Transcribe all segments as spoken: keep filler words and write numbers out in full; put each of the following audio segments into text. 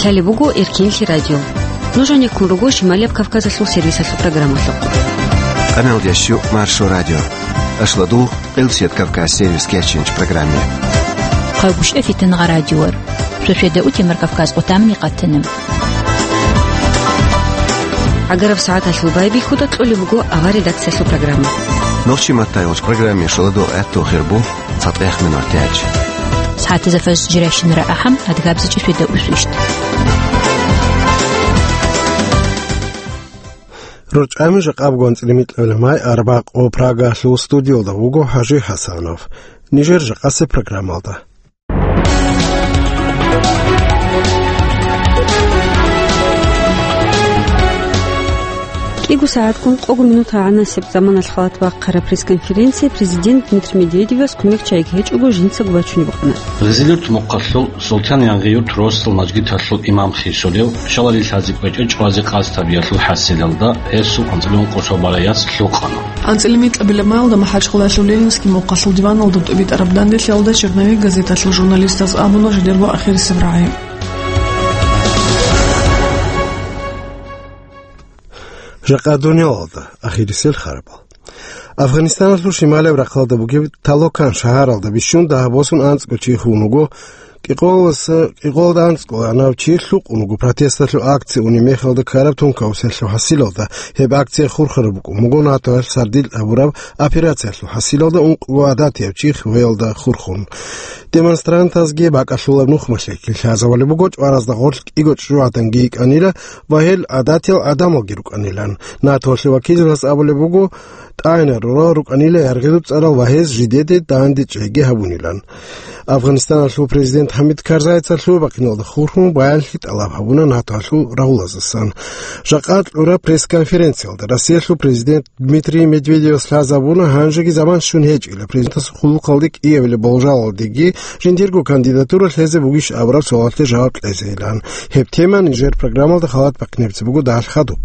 Гьале буго Эркинлъи радио. Нуж гьанеккун руго Шималияб Кавказалъул сервисалъул программалъухъ. Къамел ящу Маршо радио. Ашладу Къилсият Кавказ сервис кечинч программе. Хъавгушев Фитангъа радиор. Швешеда утемар Кавказ къутамни къатана. Агараб сагӀаталъул байбихьуда кьолеб буго авар редакциялъул программа. Нохчи маттай гъоч программе шоладу гӀатту хирбу. Цадгъех минутач. СагӀатазда фаз жирайщинара ахӀам, адгабзичӀи шведа усвищт. РорчӀами жакъаб гонцӀили микьабилеб май арбакъо Прагалъул студиялда вуго ХӀажи ХӀасанов. Нижер жакъасеб программалда. КӀиго сагӀатгун къого минут гӀанасеб заманалъ халат бахъараб пресс-конференция президент Дмитрий Медведевас кумекчагӀиги гьечӀого жинцаго бачунеб букӀана. Гъизилурт мухъалъул Султан-Янгъиюрт росдал мажгиталъул имам хисулев, шалали лъази кӀвечӀо чӀвазе къасд гьабиялъул хӀасилалда, гьесул анцӀила ункъо цо бала яц лъукъана. АнцӀила микьабилеб майалда МахӀачхъалаялъул Ленинский мухъалъул диваналда тӀубитӀараб данделъиялда «Черновик» газеталъул журналистаз абуна жидерго ахирисеб рагӀи. Жакъа дуниялалда ахирисел харабал. Афганистаналъул шималияб рахъалда бугеб Талокан шагьаралда бищун дагьаб босун анцӀго чи хун вуго. КӀикъоялдаса, кӀикъоялда анцӀго анав чи лъукъун вуго протесталъул акция унеб мехалда ккараб тункаусиялъул хӀасилалда. Гьеб акция хурхараб букӀун буго НАТОялъ сардилъ гьабураб операциялъул хӀасилалда ункъго гӀадатияб чи хвеялда хурхун. Демонстрантазги бакӀалъулаб нухмалъеги лъазабулеб буго, чӀваразда гъорлъ кӀиго чӀужугӀаданги йикӀанила ва гьел гӀадатиял гӀадамалги рукӀанилан. НАТОялъул вакилзабаз абулеб буго, тӀагӀинал рорал рукӀанила яргъидул цӀарал ва гьез жидеде дандечӀейги гьабунилан. Афганистаналъул президент ХӀамид Карзайица лъугьа-бахъиналда хурхун баянлъи тӀалаб гьабуна НАТОялъул рагьулазасан. Жакъа кьураб пресс-конференциялда Россиялъул президент Дмитрий Медведевас лъазабуна гьанжеги заман щун гьечӀила президентасул хъулухъалде кӀиабилеб болжалалдеги жиндирго кандидатура лъезе бугищ абураб суалалъе жаваб кьезейилан. Гьеб тема нижер программалда халат бахъинебица буго дагьал хадуб.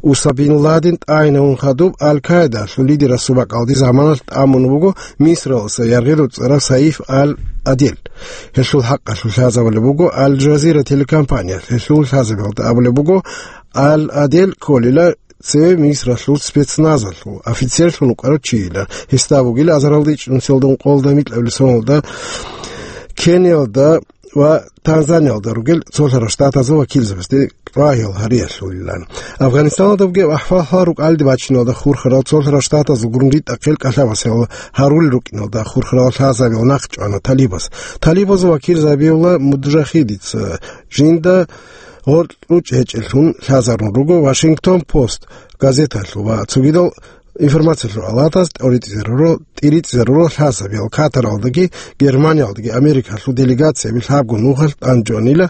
Усама бин Ладен тӀагӀинавун хадуб Аль-Каидалъул лидерасул бакӀалде заманалъ тӀамун вуго Мисралдаса яргъидул цӀарав Саиф Аль-Адел. Гьелъул хӀакъалъулъ лъазабулеб буго Аль-Жазира телекомпаниялъ. Гьелъул лъазабиялда абулеб буго, Аль-Адел кколила цеве Мисралъул спецназалъул офицерлъун вукӀарав чийилан. Гьесда вугила азаралда ичӀнусиялда ункъоялда микьабилеб соналда Кениялда ва Танзаниялда ругел цолъарал штатазул вакилзабазде рагьил гьариялъулилан. Афганистаналда бугеб ахӀвал-хӀал рукӀалде бачиналда хурхарал цолъарал штатазул гурун ритӀахъел кӀалъабасел гьарулел рукӀиналда хурхарал лъазабил нахъ чӀвана талибаз. Талибазул вакилзабиула муджахидица жинда гъоркьучӀ гьечӀеллъун лъазарун руго Вашингтон Пост газеталъул ва цогидал информациялъул алатаз тӀоритӀизаруро, тӀиритӀизаруро лъазабиял Катаралдаги Германиялдаги Америкалъул делегацияби лъабго нухалъ тӀанчӀванила,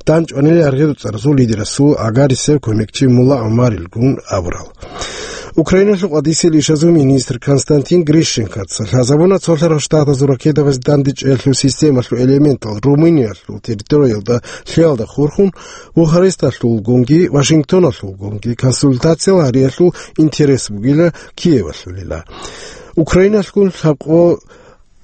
тӀанчӀванила яргъидул цӀарасул лидерасул гӀагарисев кумекчи Мулла ГӀумарилгун абурал. Украиналъул къвадисел ишазул министр Константин Грищенкоца лъазабуна цолъарал штатазул ракетабазде дандечӀеялъул системалъул элементал Румыниялъул территориялда лъиялда хурхун, Бухаресталъулгунги Вашингтоналъулгунги консультациял гьариялъул интерес бугила Киевалъулила. Украиналъгун лъабкъо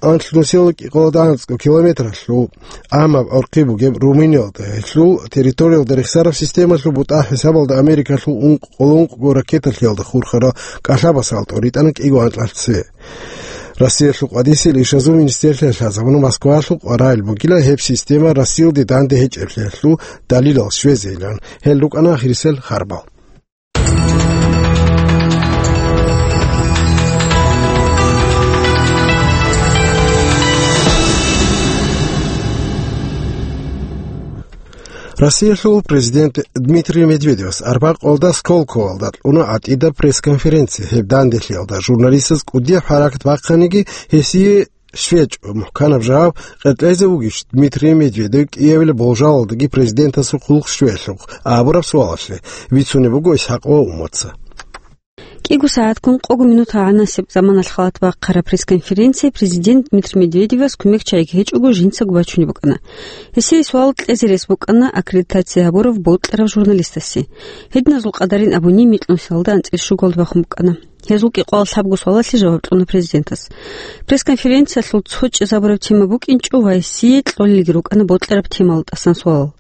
анлънусел кӀикъоялда анцӀго километралъул гӀамаб гӀорхъи бугеб Румыниялда гьелъул территориялда рехсараб системалъул бутӀа хӀисабалда Америкалъул ункъ-, къоло ункъго ракеталъиялда хурхарал кӀалъабасал тӀоритӀана кӀиго анкьалъ цеве. Россиялъул къвадисел ишазул министрлъиялъ лъазабуна Москвалъул къваригӀел бугила гьеб система Россиялде данде гьечӀеблъиялъул далилал щвезейилан. Гьел рукӀана ахирисел харбал. Россиялъул президент Дмитрий Медведевас арбакъалда Сколковолда кьуна гӀатӀида пресс-конференция. Гьеб данделъиялда журналистаз кӀудияб хӀаракат бахъаниги, гьесие щвечӀо мухӀканаб жаваб къеркьезе вугищ Дмитрий Медведев кӀиабилеб болжалалдаги президентасул хъулухъ щвеялъухъ абураб суалалъе, бицунеб буго Исхакъова Умматца. КӀиго сагӀатгун къого минут гӀанасеб заманалъ халат бахъараб пресс-конференция президент Дмитрий Медведевас кумекчагӀиги гьечӀого жинцаго бачунеб букӀана. Гьесие суал кьезе рес букӀана аккредитация гьабурав бокьарав журналистасе. Гьединазул къадарин абуни, микьнусиялда анцӀила щугалда бахун букӀана. Гьезул кӀикъоялда лъабго суалалъе жаваб кьуна президентас. Пресс-конференциялъул цо чӀезабураб тема букӀинчӀо ва гьесие кьолелги рукӀана бокьараб темалда тӀасан суалал.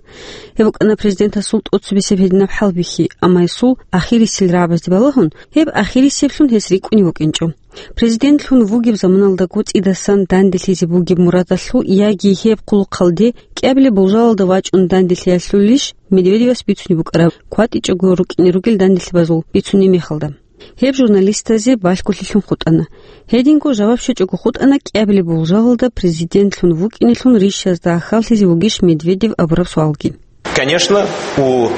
Гьеб букӀана президентасул тӀоцебесеб гьединаб хӀалбихьи, амма гьесул ахирисел рагӀабазде балагьун, гьеб ахирисеблъун гьес рикӀкӀунев вукӀинчӀо. Президентлъун вугеб заманалдаго цӀидасан данделъизе бугеб мурадалъул яги гьеб хъулухъалде кӀиабилеб болжалалда вачӀун данделъиялъулищ Медведевас бицунеб букӀараб, кватӀичӀого рукӀине ругел данделъабазул бицунеб мехалда? Гьеб журналистазе балъголъилъун хутӀана. Гьединго жаваб щвечӀого хутӀана кӀиабилеб болжалалда президентлъун вукӀинелъул рищазда гӀахьаллъизе вугищ Медведев абураб суалги. Конечно, у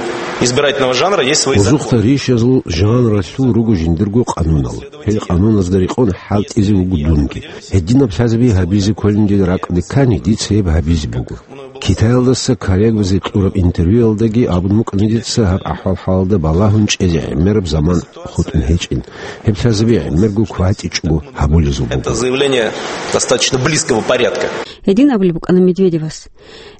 избирательного жанра есть свои законы. Гьезухъа рищазул жанралъул руго жиндирго къанунал. Гьел къануназда рекъон хӀалтӀизе вуго дунги. Гьединаб лъазаби гьабизе кколин дир ракӀалде ккани, дица гьеб гьабизе буго. Китаялдаса коллегабазе кьураб интервьюялдаги абун букӀана дица гьаб ахӀвал-хӀалалда балагьун чӀезе гӀемераб заман хутӀун гьечӀин. Гьеб лъазаби гӀемерго кватӀичӀого гьабулезул буго. Это заявление достаточно близкого порядка. Гьедин абулеб букӀана Медведевас.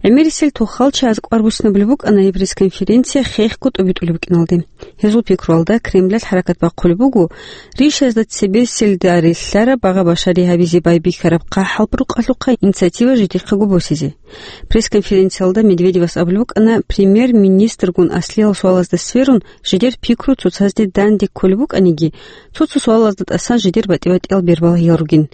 ГӀемерисел тухал чагӀаз кӀвар буссинабулеб букӀана гьеб пресс-конференция хехго тӀобитӀулеб букӀиналде. Гьезул пикруялда Кремлалъ хӀаракат бахъулеб буго, рищазда цебеселда релълъараб багъа-башари гьабизе байбихьараб хъахӀалбурукъалъухъа инициатива жидехъего босизе. Пресс-конференциялда Медведевас абулеб букӀана, премьер-министргун аслиял суалазда сверун, жидер пикру цоцазде данде кколеб букӀаниги, цо-цо суалазда тӀасан жидер батӀи-батӀиял бербалагьиял ругин.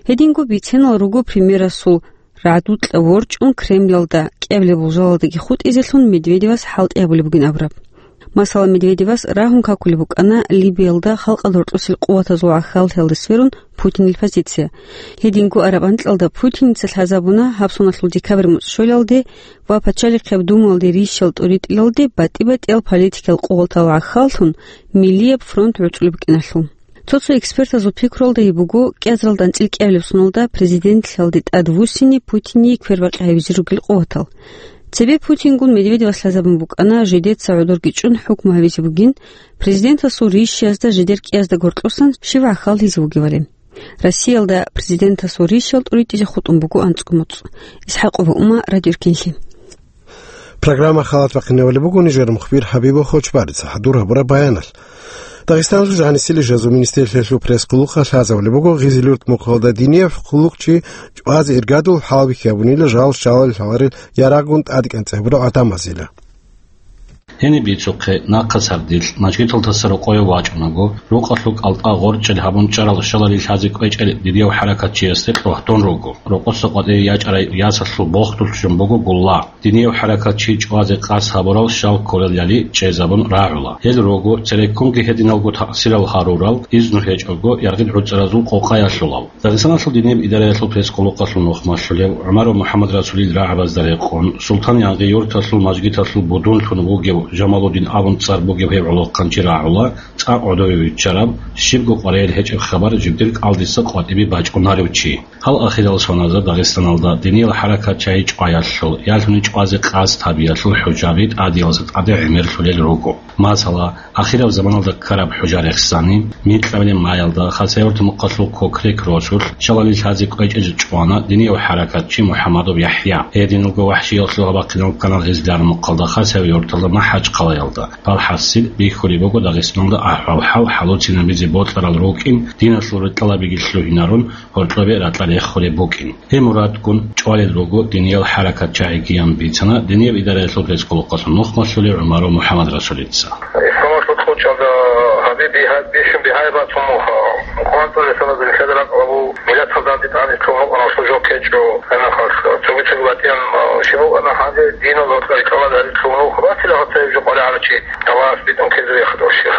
Гьединго бицинал руго премьерасул рагӀдукьа ворчӀун Кремлалда кӀиабилеб болжалалдаги хутӀизелъун Медведевас хӀалтӀи гьабулеб бугин абураб. Масала, Медведевас рагьун какулеб букӀана Либиялда халкъалда гьоркьосел къуватазул гӀахьаллъиялда сверун Путинил позиция. Гьединго араб анкьалда Путиница лъазабуна гьаб соналъул декабрь муцӀ щолалде ва Пачалихъаб Думалде рищал тӀуритӀилалде батӀи-батӀиял политикиял къуватал гӀахьаллъун Миллияб фронт гӀуцӀулеб букӀиналъул. Цо-цо экспертазул пикруялда гьеб буго кӀиазаралда анцӀила кӀиабилеб соналда президентлъиялде тӀадвуссине Путине квербакъи гьабизе ругел къуватал. Цебе Путингун Медведевас лъазабун букӀана, жидеца гӀодорги чӀун хӀукму гьабизе бугин, президентасул рищиязда жидер кӀиязда гьоркьосан щив гӀахьаллъизе вугевали. Россиялда президентасул рищал тӀуритӀизе хутӀун буго анцӀго муцӀ. ИсхӀакъова Ума, Радио Эркенлъи. Программа халат бахъинабулеб буго нижер мухбир Хабибов Хочбарица хӀадур гьабураб баяналъ. Дагъистаналъул жагьилсилищ гьезул министрлъиялъул пресс-къуллукъалъ лъазабулеб буго, Гъизилюрт мухъалда динияб хъулухъчи чӀвазе иргадул хӀалбихьи гьабунила жал щалал лъаларел ярагъгун тӀадекӀанцӀе гьабурал гӀадамазила. Гьениб бицухъе, нахъа сардилъ, мажгиталдаса рокъове вачӀунаго, рукъалъул кӀалтӀа гъоркьел гьабун чӀарал щалалил лъазе кӀвечӀел динияб хӀаракатчиясде кьогьдун руго. Рокъоса къватӀиве ячӀарай ясалъул бохдулъ жун буго гулла. Динияб хӀаракатчи чӀвазе къасд гьабурал щал кколелали чӀезабун рагӀула. Гьел руго цереккунги гьединалго таъсирал гьарурал, изну гьечӀого яргъил гӀуцӀаразул къокъаялъулал. Дагъистаналъул динияб идараялъул пресс-къуллукъалъул нухмалъулев ГӀумаров МухӀаммад Расулил рагӀабазда рекъон, Султан-Янгъи юрталъул мажгиталъул будунлъун вугев Жамалудин абун цӀар бугев гьев гӀолохъанчи рагӀула, цӀакъ гӀодове виччараб, щибго къваригӀел гьечӀеб хабар жибдир кӀалдиса къватӀибе бачӀунарев чи. Гьал ахирал соналда Дагъистаналда диниял хӀаракатчагӀи чӀваялъул, ялъуни чӀвазе къасд гьабиялъул хӀужаби тӀадиялса тӀаде гӀемерлъулел руго. Масала, ахираб заманалда ккараб хӀужа рехсани, микьабилеб маялда Хасавюрт мухъалъул Кокрек росулъ щалалил лъазе кӀвечӀезе чӀвана динияв хӀаракатчи МухӀаммадов ЯхӀя. Гьединалго вахӀшиялъул гьабахъинал ккана Гъизлияр мухъалда Хасавюрталда МахӀачхъалаялда. Палхасил бихьулеб буго Дагъистаналда ахӀвал-хӀал хӀалуцинабизе бокьарал рукӀин, диналъул рекӀелабиги лъугьинарун, гьоркьобе ракьа рехулеб букӀин. Гьеб мурадгун чӀвалел руго диниял хӀаракатчагӀигиян бицана динияб идараялъул пресс-къуллукъалъул нухмалъулев ГӀумаров МухӀаммад Расулица. Исламалъул кьучӀалда гьабе бигьа-, бихьун бигьаяб бацун муха. Къуръан цӀалисалазул нилъеда ракӀалда буго, миллаталда дандитӀани лъугьун вукӀана служок гьечӀо, гьанахъалъ цоги-цоги батӀиян, а, щиб букӀана гьанже динал гьоркьа рикӀкӀалда гьарилъ лъугьун вуха. Батила гьаб цебе жо къваригӀарав чи, Аллагьас битӀун ккезе вехъа дов щихъ.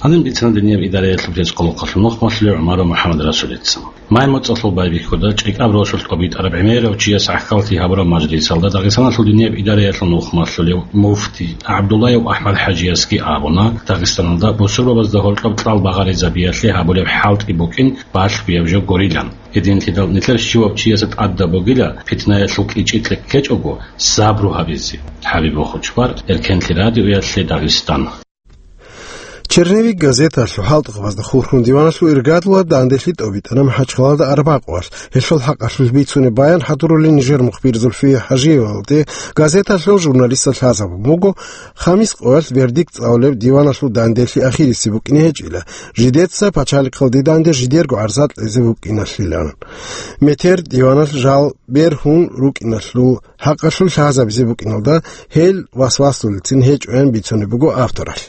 Гьанин бицана динияб идараялъул пресс-къуллукъалъул нухмалъулев ГӀумаров МухӀаммад Расулица. Май муцӀалъул байбихьуда ЧӀикӀаб росулъ тӀобитӀараб гӀемерав чияс гӀахьаллъи гьабураб мажлисалда Дагъистаналъул динияб идараялъул нухмалъулев муфти ГӀабдуллаев АхӀмад-ХӀажиясги абуна, Дагъистаналда бусурбабазда гьоркьоб кьал багъаризабиялъе гьабулеб хӀалтӀи букӀин балъгояб жо гурилан. Гьединлъидал нилъер щивав чиясда тӀадаб бугила, питнаялъул кӀичӀи кьеккечӀого, сабру гьабизе. Хабиб Бохучбар, Эркенлъи радиоялъе, Дагъистан. Черновик газеталъул хӀалтӀухъабазда хурхун диваналъул иргадлъула данделъи тӀобитӀана МахӀачхъалада арбакъуялъ. Гьелъул хӀакъалъулъ бицунеб баян хӀадурулин нижер мухбир Зульфия ХӀажиевалде газеталъул журналистал лъазабун буго, хамис къоялъ вердикт цӀалулеб диваналъул данделъи ахирисеб букӀине гьечӀила, жидеца пачалихъалде данде жидерго гӀарза кьезе букӀиналъилан. Метер диваналъ жал бергьун рукӀиналъул хӀакъалъулъ лъазабизе букӀиналда, гьел васвасулелцин гьечӀоян бицунеб буго авторалъ.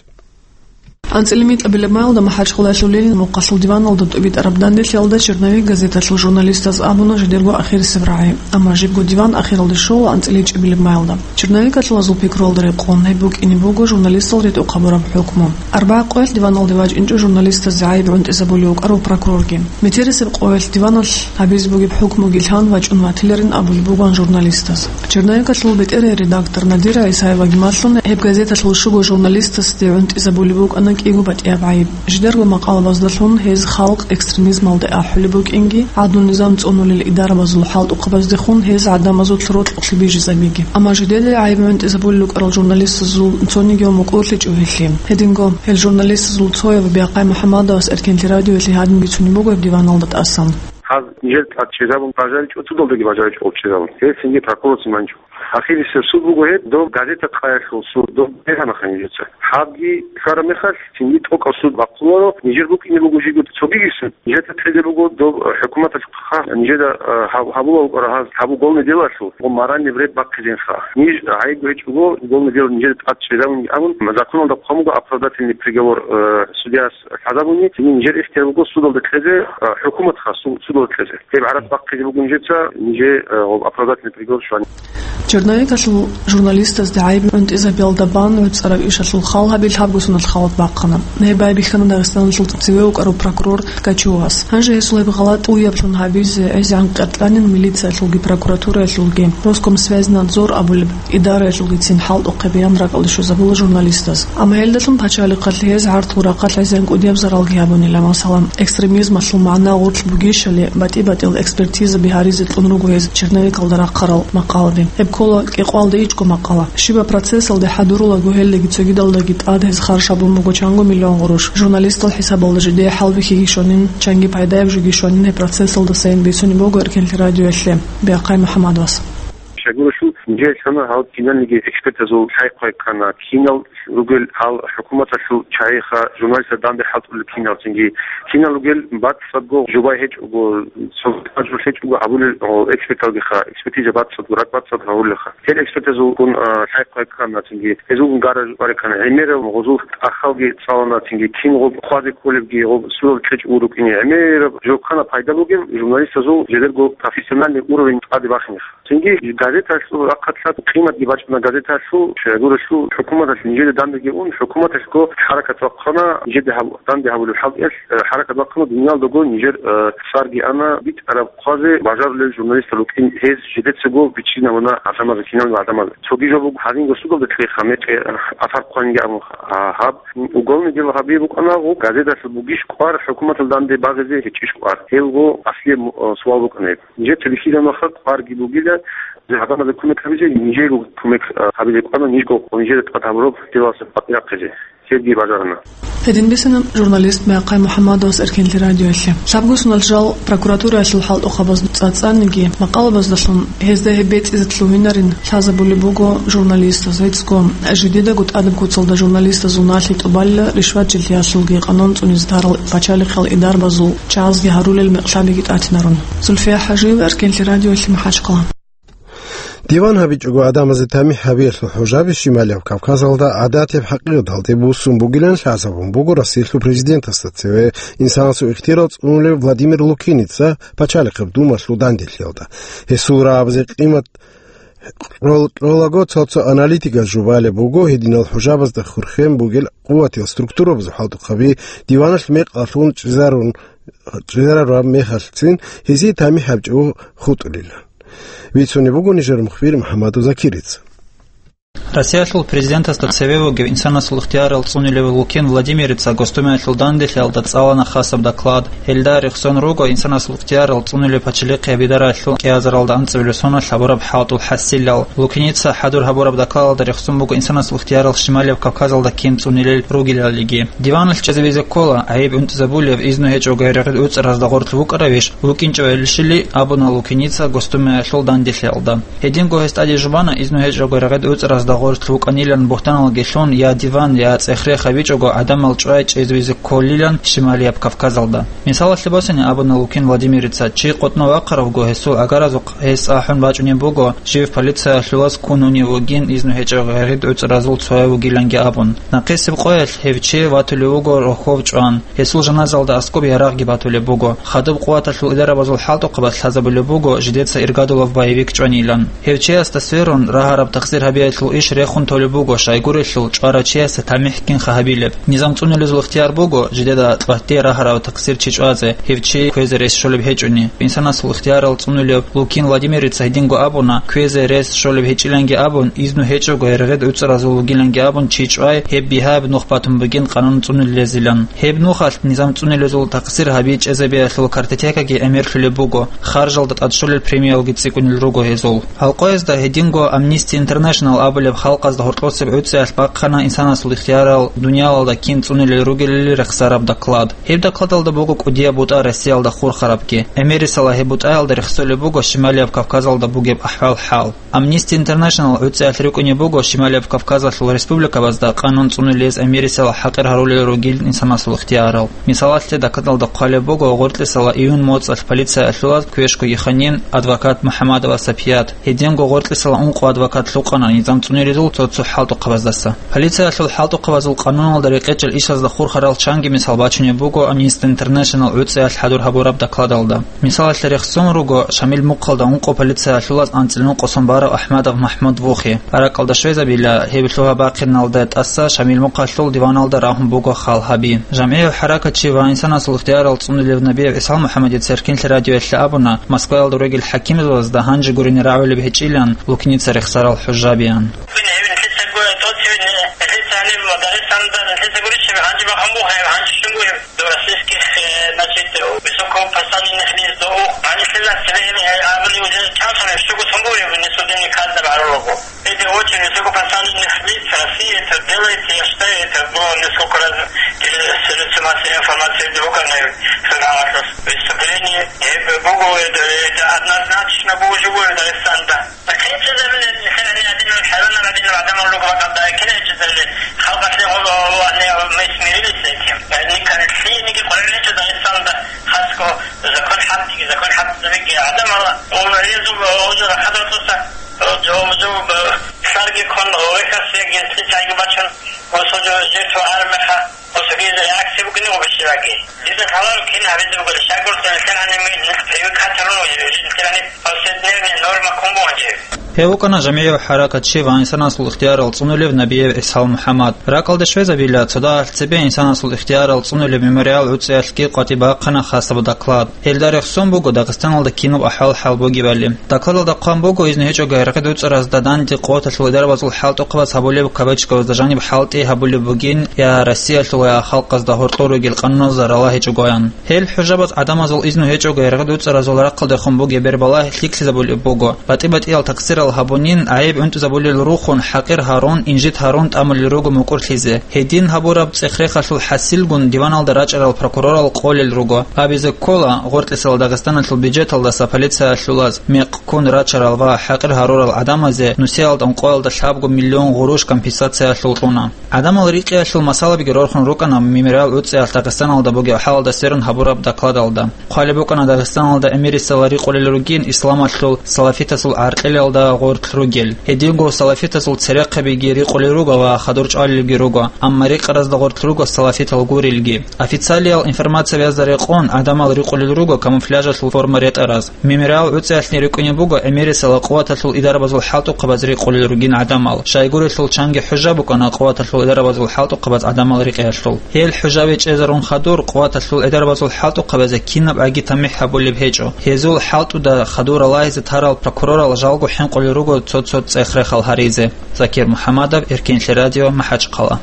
АнцӀила микьабилеб маялда МахӀачхъалаялъулин мухъалъул диваналда тӀубитӀараб данделъиялда «Черновик» газеталъул журналистаз абуна жидерго ахирисеб рагӀи. Амма жибго диван ахиралде щола анцӀила ичӀабилеб маялда. «Черновикалъулазул» пикруялда рекъон, гьеб букӀине буго журналистал ритӀухъ гьабураб хӀукму. Арбагъ къоялъ диваналде вачӀинчӀо журналистазде гӀайиб гӀунтӀизабулев вукӀарав прокурорги. Метерисеб къоялъ диваналъ гьабизе бугеб хӀукмуги лъан вачӀун ватиларин абулеб бугоан журналистаз. «Черновикалъул» бетӀерай редактор Надира ГӀисаеваги малъуна, гьеб газеталъул щуго журналистасде гӀунтӀизабулеб букӀана кӀиго батӀияб гӀайиб. Жидерго макъалабаздалъун гьез халкъ экстремизмалде ахӀулеб букӀинги, гӀадлу-низам цӀунулел идарабазул хӀалтӀухъабаздехун гьез гӀадамазул рокьулъе бижизабиги. Амма жидеда гӀайиб гӀунтӀизабулел рукӀарал журналистазул цониги ва мукӀурлъичӀо гьелъие. Гьединго, гьел журналистазул цояв Бяхъай МухӀаммадовас Эркенлъи радиоялъе гьадин бицунеб буго гьеб диваналда тӀасан. Гьаз нижер тӀад чӀезабун бажаричӀо, судалдаги бажаричӀо гъоб чӀезабун. Гьел цинги прокурорцин манчӀо. Ахирисеб суд буго гьеб, доб газета къаялъул суд, доб бегьанаха нижеца. Гьабги хьвараб мехалъ, цинги тӀокӀаб суд бахъуларо, нижер букӀине буго жиго цогиги суд. Нижеца кьезе буго доб хӀукуматалъухъа, нижеда, а, гьаб-, гьабула букӀара гьаз, гьаб уголный делалъул, гъо моральный вред бахъизенха. Ниж гӀайиб гьечӀого, уголный дело нижеда тӀад чӀезабунги абун, законалда хъван буго оправдательный приговор, э, судьяс лъазабуни, цинги нижер ихтияр буго судалда кьезе, а, хӀукуматха су-, судалда кьезе. Гьеб гӀарац бахъизе буго нижеца, нижер, а, гъоб оправдательный приговор щвани. Черновикалъул журналистазда гӀайиб гӀунтӀизабиялда бан гӀуцӀараб ишалъул хал гьабил гьабгусунал халат бахъана. Гьеб байбихьана Дагъистаналъул цеве вукӀарав прокурор Ткачевас. Гьанже гьесул гьеб гъалатӀ уяблъун гьабизе гӀезегӀан къеркьанин милициялъулги прокуратураялъулги, Роскомсвязьнадзор абулеб идараялъулгицин хӀалтӀухъе баян ракӀалде щвезабула журналистаз. Амма гьелдалъун пачалихъалъ гьез гӀарцул рахъалъ гӀезегӀан кӀудияб заралги гьабунила, масала, экстремизмалъул магӀна гъорлъ бугищали батӀи-батӀиял экспертизаби гьаризе кьун руго гьез черновикалда рахъарал макъалаби. Гьеб ккола кӀикъоялда ичӀго макъала. Щибаб процессалде хӀадурулаго гьелдаги цогидалдаги тӀад гьез харж гьабун буго чанго миллион гъурущ. Журналистал хӀисабалда жидее хӀалбихьиги щванин, чанги пайдаяб жоги щванин гьеб процессалдасайин бицунеб буго Эркенлъи радиоялъе Бяхъай МухӀаммадовас. Щайгурелъул, нижер лъана гьал киналниги экспертазул лъай-хъвай ккана, кинал ругел гьал хӀукуматалъул чагӀиха, журналистаз данде хӀалтӀулел кинал, цинги кинал ругел бацӀцӀадго жубай гьечӀого, цо гьечӀого гьабулел, о, эксперталгиха, экспертиза бацӀцӀадго, ракӀ бацӀцӀад гьавулелха. Гьел экспертазулгун, а, лъай-хъвай ккана, цинги гьезулгун гараж барикана, гӀемерал гъозул тӀахьалги цӀалана, цинги кин гъоб хъвазе кколебги, гъоб сурал кьечӀ урукӀине, гӀемераб жо ккана пайда бугеб, журналистазул жидерго профессиональный уровень тӀаде бахинеха. Цинги газеталъул рахъалъа къиматги бачӀана газеталъул, щайгурелъул хӀукуматалъ нижеда дандеги ун, хӀукуматалъго хӀаракат бахъана, нижеда гьаб-, данде гьабулеб хӀалтӀиялъ, э, хӀаракат бахъана, дуниялдаго нижер, э, цӀарги ана битӀараб хъвазе бажарулел журналистал рукӀин, гьез жидецаго биччинабуна гӀадамазе, киналго гӀадамазе. Цоги жо буго, гьанинго судалда кьеха, мекъи, э, асар хъванинги абун, а, гьаб уголный дело гьабизе букӀана, гъо газеталъул бугищ кӀвар хӀукуматалда данде багъизе, гьечӀищ кӀвар? Гьелго аслияб, э, суал букӀана гьеб. Нижеца бихьизабунаха кӀварги бугила, гьадамазе кумек гьабизе, нижего кумек, а, гьабизе кӀвана, нижго нижеда тӀад гьабураб делалъе батӀи рахъизе. Гьебги бажарана. Гьедин бицана журналист Бяхъай МухӀаммадовас Эркенлъи радиоялъе. Лъабго соналъ жал прокуратураялъул хӀалтӀухъабаз цӀацӀаниги, макъалабаздалъун гьезда гьеб бецӀизе лъугьинарин лъазабулеб буго журналистаз. ГӀицӀго жидедаго тӀадаб куцалда журналистазул налъи тӀубалила ришватчилъиялъулги къанун цӀунизе тарал пачалихъал идарабазул чагӀазги гьарулел мекълъабиги тӀатинарун. Зульфия ХӀажиева, Эркенлъи радиоялъе, МахӀачхъала. Диван гьабичӀого гӀадамазе тамихӀ гьабиялъул хӀужаби Шималияб Кавказалда гӀадатияб хӀакъикъаталде буссун бугилан лъазабун буго Россиялъул президентасда цеве инсанасул ихтияр цӀунулев Владимир Лукиница пачалихъаб Думалъул данделъиялда. Гьесул рагӀабазе къимат кьол-, кьолаго цо-цо аналитиказ жубалеб буго, гьединал хӀужабазда хурхен бугел къуватиял структурабазул хӀалтӀухъаби диваналъ мекъалъун чӀезарун, чӀезарараб мехалъцин гьезие тамихӀ гьабичӀого хутӀулилан. Бицунеб буго нижер мухбир МухӀаммадов Закириц. Россиялъул президентасда цеве вугев инсанасул ихтиярал цӀунилев Лукин Владимирица Госдумаялъул данделъиялда цӀалана хасаб доклад. Гьелда рехсон руго инсанасул ихтиярал цӀунилев пачалихъ гьабидаралъул кӀиазаралда анцӀабилеб соналъ гьабураб хӀалтӀул хӀасилал. Лукиница хӀадур гьабураб докладалда рехсон буго инсанасул ихтиярал Шималияб Кавказалда кин цӀунилел ругелалиги. Диваналъ чӀезабизе ккола, гӀайиб унтӀизабулев, изну гьечӀого гьерегъид уцӀаразда гъорлъ вукӀаравищ, вукӀинчӀевелищили абуна Лукиница Госдумаялъул данделъиялда. Гьединго гьес тӀаде жубана изну гьечӀого гьерегъид уцӀаразда гъорлъ вукӀанилан бугьтаналги лъун, я диван, я цӀех-рех гьабичӀого гӀадамал чӀвай чӀезабизе кколилан Шималияб Кавказалда. Мисалалъе босани абуна Лукин Владимирица, чи къотӀно вахъаравго гьесул агаразухъ гьес ахӀун бачӀунеб буго, жив полициялъулаз ккун унев вугин, изну гьечӀого гьерегъид уцӀаразул цояв вугиланги абун. Нахъисеб къоялъ гьев чи ватулев вуго рохьов чӀван. Гьесул жаназалда аскӀоб ярагъги батулеб буго. Хадуб къуваталъул идарабазул хӀалтӀухъабаз лъазабулеб буго жидеца иргадулав боевик чӀванилан. Гьев чиясда сверун, рагьараб такъсир гьабиялъул иш рехун толеб буго, щайгурелъул чӀварав чиясда тамихӀ кинха гьабилеб. Низам цӀунилезул ихтияр буго жидеда тӀватӀде рагьараб такъсир чи чӀвазе, гьев чи кквезе рес щолеб гьечӀони. Инсанасул ихтиярал цӀунилев Лукин Владимирица гьединго абуна, кквезе рес щолеб гьечӀиланги абун, изну гьечӀого гьерегъид уцӀаразул вугиланги абун чи чӀвай, гьеб бигьаяб нух батун бугин къанун цӀунилезилан. Гьеб нухалъ низам цӀунилезул такъсир гьаби чӀезабиялъул картотекаги гӀемерлъулеб буго, харжалда тӀадщолел премиялги цӀикӀкӀунел руго гьезул. Гьалкъоязда гьединго Amnesty International абулеб халкъазда гьоркьосеб гӀуцӀиялъ бахъана инсанасул ихтиярал дуниялалда кин цӀунилел ругелали рехсараб доклад. Гьеб докладалда буго кӀудияб бутӀа Россиялда хурхарабги. Америсала гьеб бутӀаялда рехсолеб буго Шималияб Кавказалда бугеб ахӀвал-хӀал. Amnesty International гӀуцӀиялъ рикӀкӀунеб буго Шималияб Кавказалъул республикабазда къанун цӀунилез Америсала хӀакъир гьарулел ругел инсанасул ихтиярал. Мисалалъе, докладалда хъвалеб буго гъоркьисала июнь моцӀалъ полициялъулаз квешкоги ханин адвокат МухӀамадова Сапият. Гьединго гъоркьисала ункъо адвокат лъукъана низам цӀунилезул цо-цо хӀалтӀухъабаздаса. Полициялъул хӀалтӀухъабазул къануналда рекъечӀел ишазда хурхарал чанги мисал бачунеб буго Amnesty International гӀуцӀиялъ хӀадур гьабураб докладалда. Мисалалъе рехсон руго Шамил мухъалда ункъо полициялъулаз анцӀила нукъосун барав АхӀмадов МахӀмуд вухи. Ракалда щвезабила, гьеб лъугьа-бахъиналда тӀаса Шамил мухъалъул диваналда рагьун буго хал гьаби. ЖамгӀияв хӀаракатчи ва инсанасул ихтиярал цӀунилев Набиев ГӀисал МухӀаммадица Эркинлъи радиоялъе абуна, Москваялда ругел хӀакимзабазда гьанже гурине рагӀулеб гьечӀилан Лукиница рехсарал хӀужабиян. Нилъеца гу-, тӀоцеве, нилъеца гьаниб Дагъистанда, нилъеца гурищ гьанже бахъун буго, гьанже щун буго. До российских, э, значит, высокопоставленных лиц, до ух-, гьанже лъила цебе, э, абуни уже чанцӀ гьаб, щуго тун буго, не судебный каз гьарурого. Эти очень высокопоставленных лиц России это делает, я считаю, это было несколько раз, э, средства массовой информации в Дебоканной, выступление, э, буго, это, это однозначно буго живое Дагестан, да. Гьеб чӀезабилеб нилъер гьанир гьадинаб хӀайванаб гьадинаб гӀадамал руго бакӀалда, кин гьеб чӀезабилеб? Халкъалъе гъо-, гъо-, гьанир мы смирились с этим. Никакие книги къваригӀинчӀо Дагъистанда хасго закон хӀалтӀиги, закон хӀалтӀизабиги гӀадамал, гъо, резу, гъо, жо рахадал туса, гъо, жо, жо, лъарги ккун, гъо, вехас, генцӀи чайги бачун, гъо, сужу жертва армеха. Гъосул реакция букӀине гъобищелаги. Дида лъаларо кин гьабизе бугеб, щайгурелъул нилъер гьаниб нилъ привыкать гьарун, нилъер гьаниб повседневная норма ккун бугӀан жо. Гьев вукӀана жамгӀияв хӀаракатчи ва инсанасул ихтиярал цӀунулев Набиев ГӀисал МухӀаммад. Ракалда щвезабила, цо дагьалъ цебе инсанасул ихтиярал цӀунулеб Мемориал гӀуцӀиялъги къватӀибе бахъана хасаб доклад. Гьелда рехсон буго Дагъистаналда кинаб ахӀвал-хӀал бугебали. Докладалда хъван буго, изну гьечӀого гьерекъи дуцӀаразда данде къуваталъул идарабазул хӀалтӀухъабаз гьабулеб кабачкабазда жаниб хӀалтӀи гьабулеб бугин я Россиялъул, я халкъазда гьоркьор ругел къануналзда рала гьечӀогоян. Гьел хӀужабаз гӀадамазул изну гьечӀого гьерекъи дуцӀаразул рахъалдехун бугеб бербалагь лъикӀлъизабулеб буго. БатӀи-батӀиял такъсирал гьабунин, гӀайиб унтӀизабулел рухун, хӀакъир гьарун, инжит гьарун тӀамулел руго мукӀурлъизе. Гьедин гьабураб цӀех-рехалъул хӀасилгун диваналда рачӀарал прокурорал къолел руго. Абизе ккола, гъоркьисал Дагъистаналъул бюджеталдаса полициялъулаз мекъ ккун рачарал ва хӀакъир гьарурал гӀадамазе нусиялда ункъоялда лъабго миллион гъурущ компенсациялъул кьуна. ГӀадамал рикъиялъул масалабиги рорхун рукӀана Мемориал гӀуцӀиялъ Дагъистаналда бугеб хӀалалда сверун гьабураб докладалда. Хъвалеб букӀана Дагъистаналда Эмирисала рикъулел ругин исламалъул салафитазул гӀаркьилалда гъоркь ругел. Гьединго салафитазул церехъабиги рикъулел руго ва хадур чӀвалелги руго, амма рекъаразда гъоркь руго салафитал гурелги. Официалиял информациябазда рекъон, гӀадамал рикъулел руго камуфляжалъул форма ретӀараз. Мемориал гӀуцӀиялъни рикӀкӀунеб буго Эмирисала къуваталъул идарабазул хӀалтӀухъабаз рикъулел ругин гӀадамал. Щайгурелъул чанги хӀужа букӀана къуваталъул идарабазул хӀалтӀухъабаз гӀадамал рикъиялъул. Гьел хӀужаби чӀезарун хадур, къуваталъул идарабазул хӀалтӀухъабазе кинаб гӀаги тамихӀ гьабулеб гьечӀо. Гьезул хӀалтӀуда хадур ралагьизе тарал прокурорал жалго хӀинкъу Руго цо-цо цӀех-рехал гьаризе. Закир МухӀамадов, Эркинлъи радио, МахӀачхъала.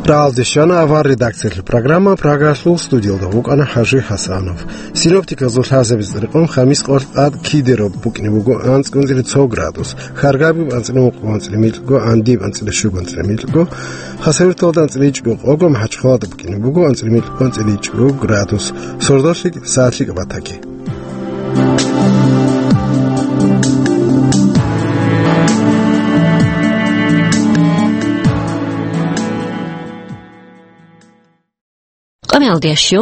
Рагьалде щвана авар редакциялъул программа, Прагалъул студиялда вукӀана ХӀажи ХӀасанов. Синоптиказул лъазабиз рекъон, хамис къоялъ тӀад кидаро букӀине буго анцӀ-, анцӀила цо градус, Харгабиб анцӀила ункъго, анцӀила микьго, Андиб анцӀила щуго, анцӀила микьго, Хасавюрталда анцӀила ичӀго, къого, МахӀачхъалада букӀине буго анцӀила микьго, анцӀила ичӀго градус. Сордолъи сагӀатлъи кӀабатаги. Къамиялдиящу.